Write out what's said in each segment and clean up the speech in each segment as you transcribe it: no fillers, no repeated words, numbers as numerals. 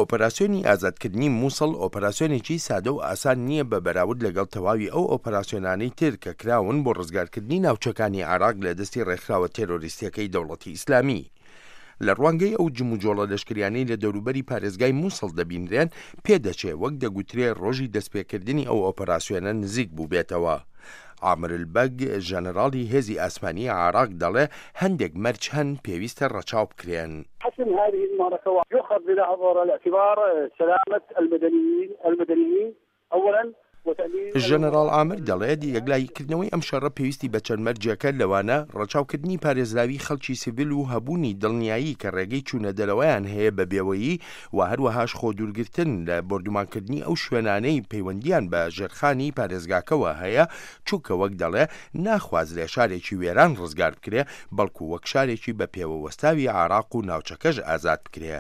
ئۆپەراسیۆنی ئازادکردنی موسڵ ئۆپەراسیۆنێکی سادە و ئاسان نییە بە بەراورد لەگەڵ تەواوی ئەو ئۆپەراسیۆنانەی تر کە کراون بۆ ڕزگارکردنی ناوچەکانی عێراق لە دەستی ڕێکخراوە تێرۆریستییەکەی دەوڵەتی ئیسلامی. لە ڕوانگەی ئەو جموجۆڵە لەشکریانەی لە دەوروبەری پارێزگای موسڵ دەبینرێن، پێدەچێ وەک دەگوترێ ڕۆژی دەستپێکردنی ئەو ئۆپەراسیۆنە نزیک بووبێتەوە. عامر البەگ، ژەنەراڵی هێزی ئاسمانیی عێراق دەڵێ هەندێک مەرج هەن پێویستە ڕەچاو بکرێن. حسم هذه المعرکە و یوخذ بنظر الاعتبار سلامە المدنیین المدنیین اولا وتامین. ژەنەراڵ عامر دەڵێت، یەکلاییکردنەوەی ئەم شەڕە پێویستی بە چەند مەرجێکە، لەوانە، ڕەچاوکردنی پارێزراوی خەڵکی سیڤیل و هەبوونی دڵنیایی کە ڕێگەی چوونەدەرەوەیان هەیە بە بێوەیی و هەروەهاش خۆدوورگرتن لە بۆردومانکردنی ئەو شوێنانەی پەیوەندییان بە ژێرخانی پارێزگاکەوە هەیە، چونکە وەک دەڵێ ناخوازرێ شارێکی وێران ڕزگار بکرێ، بەڵکو وەک شارێکی بە پێوە وەستاوی عێراق و ناوچەکەش ئازاد بکرێ.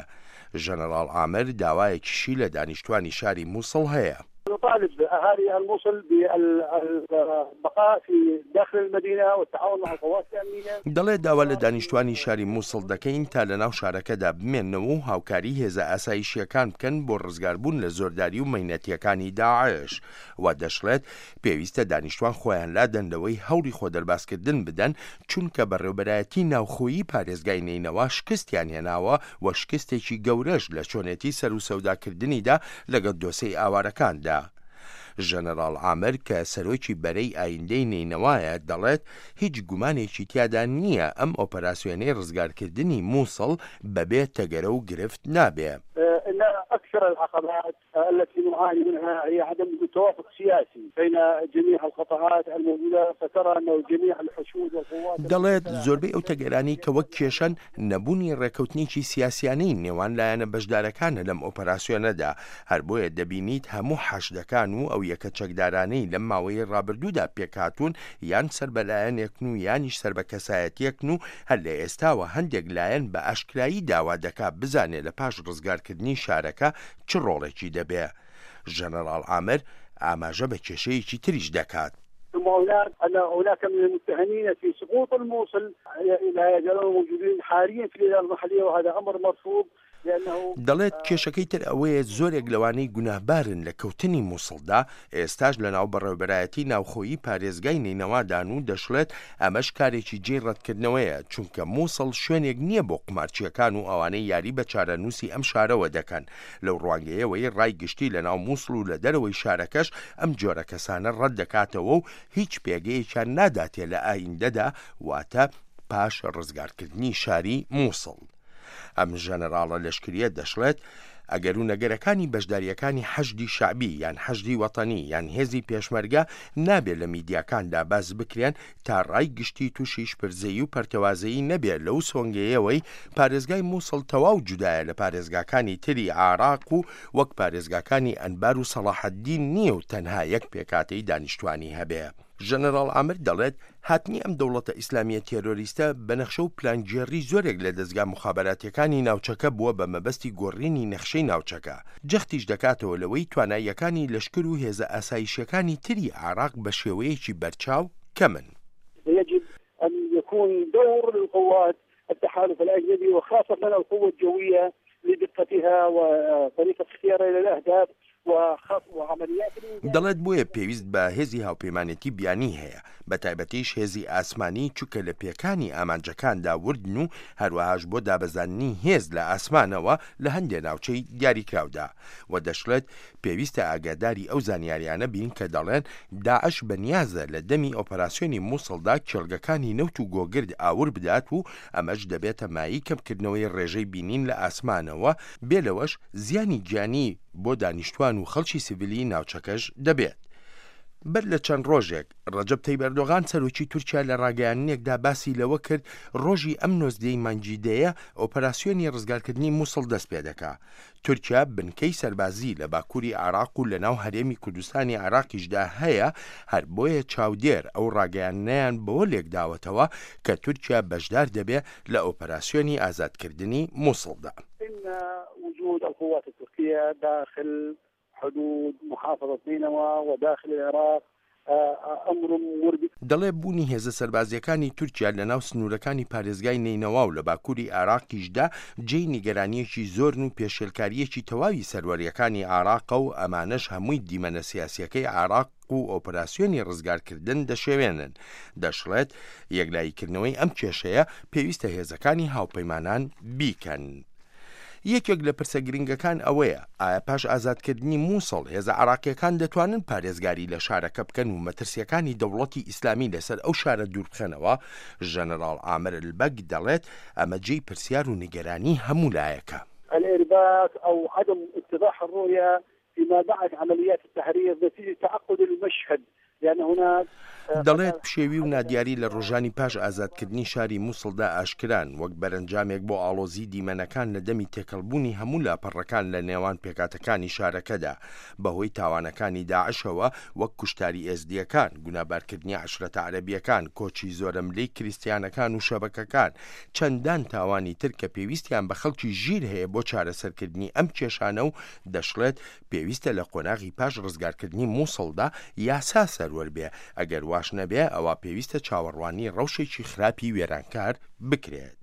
ژەنەڕاڵ عامر داوایەکیشی لە دانیشتوانی شاری موسڵ هەیە. نطالب اهالي الموصل بالبقاء في داخل المدينة والتعاون مع القوات الامنية. دەڵێ داوا لە دانیشتوانی شاری موسڵ دەکەین تا لەناو شارەکەدا بمێننەوە و هاوکاری هێزە ئاسایشییەکان بکەن بۆ ڕزگاربوون لە زۆرداری و مەینەتییەکانی داعش و دەشڵێت پێویستە دانیشتوان خۆیان لادەن لەوەی هەوڵی خۆدەربازکردن بدەن چونکە بەڕێوبەرایەتی ناوخۆیی پارێزگای نەینەوا شکستیان هێناوە و شکستێکی گەورەش لە چۆنێتی سەروسەوداکردنیدا لەگەڵ دۆسێی ئاوارەکاندا. ژەنەراڵ عامر کە سەرۆکی بەرەی ئایندەی نەینەوایە دەڵێت هیچ گومانێکی تیادا نییە ئەم ئۆپەراسیۆنەی ڕزگارکردنی موسڵ بەبێ تەگەرە و گرفت نابێ. ان اکثر العقبات التي نعاني منها هي عدم وجود توافق سياسي بين جميع القطاعات الموجودة فترى أنه جميع الحشود والقوات دەڵێت، زۆربەی ئەو تەگەرانەی کە وەک کێشەن، نەبوونی ڕێککەوتنێکی سیاسیانەی نێوان لایەنە بەشدارەکانە لەم ئۆپەراسیۆنەدا، هەر بۆیە دەبینیت هەموو حەشدەکان و ئەو یەکە چەکدارانەی لەم ماوەیەی ڕابردوودا پێکهاتوون یان سەر بە لایەنێکن و یانیش سەر بە کەسایەتییەکن و هەر لە ئێستاوە هەندێک لایەن بە ئاشکرایی داوا دەکا بزانێ لە پاش ڕزگارکردنی شارەکە چ ڕۆڵێکی دەبێ؟ ژەنەڕاڵ عامر ئاماژە بە کێشەیەکی تریش دەکات. ثم هناك ان هناك من المتهمين في سقوط الموصل لا يزالون موجودين حاليا في الاداره المحليه وهذا امر مرفوض لانه. دەڵێت، کێشەکەی تر ئەوەیە زۆرێک لەوانەی گوناهبارن لە کەوتنی موسڵدا ئێستاش لەناو بەڕێوەبەرایەتی ناوخۆیی پارێزگای نەینەوادان و دەشڵێت ئەمەش کارێکی جێی ڕەتکردنەوەیە چونکە موسڵ شوێنێک نییە بۆ قومارچییەکان و ئەوانەی یاری بە چارەنووسی ئەم شارەوە دەکەن لەو ڕوانگەیەوەی ڕای گشتی لەناو موسڵ و لە دەرەوەی شارەکەش ئەم جۆرە کەسانە ڕەتدەکاتەوە و هیچ پێگەیەکیان ناداتێ لە ئایندەدا واتە پاش ڕزگارکردنی شاری موسڵ. ئەم ژەنەراڵە لەشکرییە دەشڵێت، ئەگەر و نەگەرەکانی بەشدارییەکانی حەشدی شەعبی یان حەشدی وەتەنی یان هێزی پێشمەرگە نابێ لە میدیاکاندا باس بکرێن تا ڕای گشتی تووشی شپرزەیی و پەرتەوازەیی نەبێ لەو سۆنگەیەوەی پارێزگای موسڵ تەواو جودایە لە پارێزگاکانی تری عێراق و وەک پارێزگاکانی ئەنبار و سەڵاحەدین نییە و تەنها یەک پێکهاتەی دانیشتوانی هەبێ. ژەنەراڵ عامر دەڵێت، هاتنی ئەم دەوڵەتە ئیسلامییە تێرۆریستە بە نەخشە و پلانگێڕی زۆرێک لە دەزگا موخابەراتییەکانی ناوچەکە بووە بە مەبەستی گۆڕینی نەخشەی ناوچەکە، جەختیش دەکاتەوە لەوەی تواناییەکانی لەشکر و هێزە ئاسایشییەکانی تری عێراق بە شێوەیەکی بەرچاو کەمن. يجب أن يكون دور للقوات التحالف الأجنبي وخاصة القوة الجوية لدقتها وطريقة اختيارها للأهداف دەڵێت بۆیە پێویست بە هێزی هاوپەیمانێتی بیانی هەیە، بەتایبەتیش هێزی ئاسمانی چونکە لە پێکانی ئامانجەکاندا وردن و هەروەهاش بۆ دابەزاندنی هێز لە ئاسمانەوە لە هەندێ ناوچەی دیاریکراودا و دەشڵێت پێویستە ئاگاداری ئەو زانیاریانە بین کە دەڵێن داعش بەنیازە لە دەمی ئۆپەراسیۆنی موسڵدا کێڵگەکانی نەوت و گۆگرد ئاور بدات و ئەمەش دەبێتە مایەی کەمکردنەوەی ڕێژەی بینین لە ئاسمانەوە بێ لەوەش زیانی گیانی بۆ دانیشتوان و خەڵکی سیڤیلی ناوچەکەش دەبێت. بەر لە چەند ڕۆژێک، ڕەجەب تەیب ئەردۆغان سەرۆکی تورکیا لە ڕاگەیاندنێکدا باسی لەوە کرد ڕۆژی ئەم نۆزدەی مانگی دەیە ئۆپەراسیۆنی ڕزگارکردنی موسڵ دەست پێدەکا. تورکیا بنکەی سەربازی لە باکوری عێراق و لەناو هەرێمی کوردستانی عێراقیشدا هەیە، هەر بۆیە چاودێر ئەو ڕاگەیاندنەیان بەوە لێکداوەتەوە کە تورکیا بەشدار دەبێ لە ئۆپەراسیۆنی ئازادکردنی موسڵدا. ان وجود القوات التركية داخل حدود محافظة نينوى وداخل العراق. امر مربك. دەڵێ بوونی هێزە سەربازییەکانی تورکیا لەناو سنوورەکانی پارێزگای نەینەوا و لە باکووری عێراقیشدا جێی نیگەرانییەکی زۆرن و پێشێلکارییەکی تەواوی سەروەرییەکانی عێراقە و ئەمانەش هەمووی دیمەنە سیاسییەکەی عێراق و ئۆپراسیۆنی ڕزگارکردن دەشێوێنن. دەشڵێت، یەکلاییکردنەوەی ئەم کێشەیە پێویستە هێزەکانی هاوپەیمانان بیکەن. یەکێک لە پرسە گرنگەکان ئەوەیە، ئایا پاش ئازادکردنی موسڵ، هێزە عێراقییەکان دەتوانن پارێزگاری لە شارەکە بکەن و مەترسییەکانی دەوڵەتی ئیسلامی لەسەر ئەو شارە دووربخەنەوە؟ ژەنەراڵ عامر البەگ دەڵێت، ئەمە جێی پرسیار و نیگەرانی هەموو لایەکە. الارباک او عدم اتضاح الرؤیە فيما بعد عمليات التحرير نتيجة تعقد المشهد لان هناك دەڵێت پشێوی و نادیاری لە ڕۆژانی پاش ئازادکردنی شاری موسڵدا ئاشکران، وەک بەرەنجامێک بۆ ئاڵۆزیی دیمەنەکان لە دەمی تێکەڵبوونی هەموو لاپەڕەکان لە نێوان پێکهاتەکانی شارەکەدا بەهۆی تاوانەکانی داعشەوە وەک کوشتاری ئێزدییەکان، گونابارکردنی عەشرەتە عەرەبییەکان، کۆچی زۆرەملێی کریستیانەکان و شەبەکەکان، چەندان تاوانی تر کە پێویستیان بە خەڵکی ژیر هەیە بۆ چارەسەرکردنی ئەم کێشانە و دەشڵێت، پێویستە لە قۆناغی پاش ڕزگارکردنی موسڵدا یاسا سەروەر بێ، ئەگەر واش نەبێ ئەوا پێویستە چاوەڕوانی ڕەوشێکی خراپی وێرانکار بکرێت.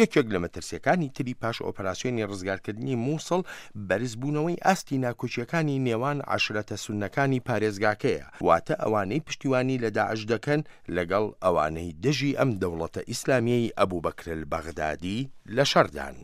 یەکێک لە مەترسیەکانی تری پاش ئۆپەراسیۆنی ڕزگارکردنی موسڵ بەرزبوونەوەی ئاستی ناکۆکیەکانی نێوان عەشرەتە سوننەکانی پارێزگاکەیە، واتە ئەوانەی پشتیوانی لە داعش دەکەن لەگەڵ ئەوانەی دژی ئەم دەوڵەتە ئیسلامیەی ئەبوبەکرەلبەغدادی لە شەڕدان.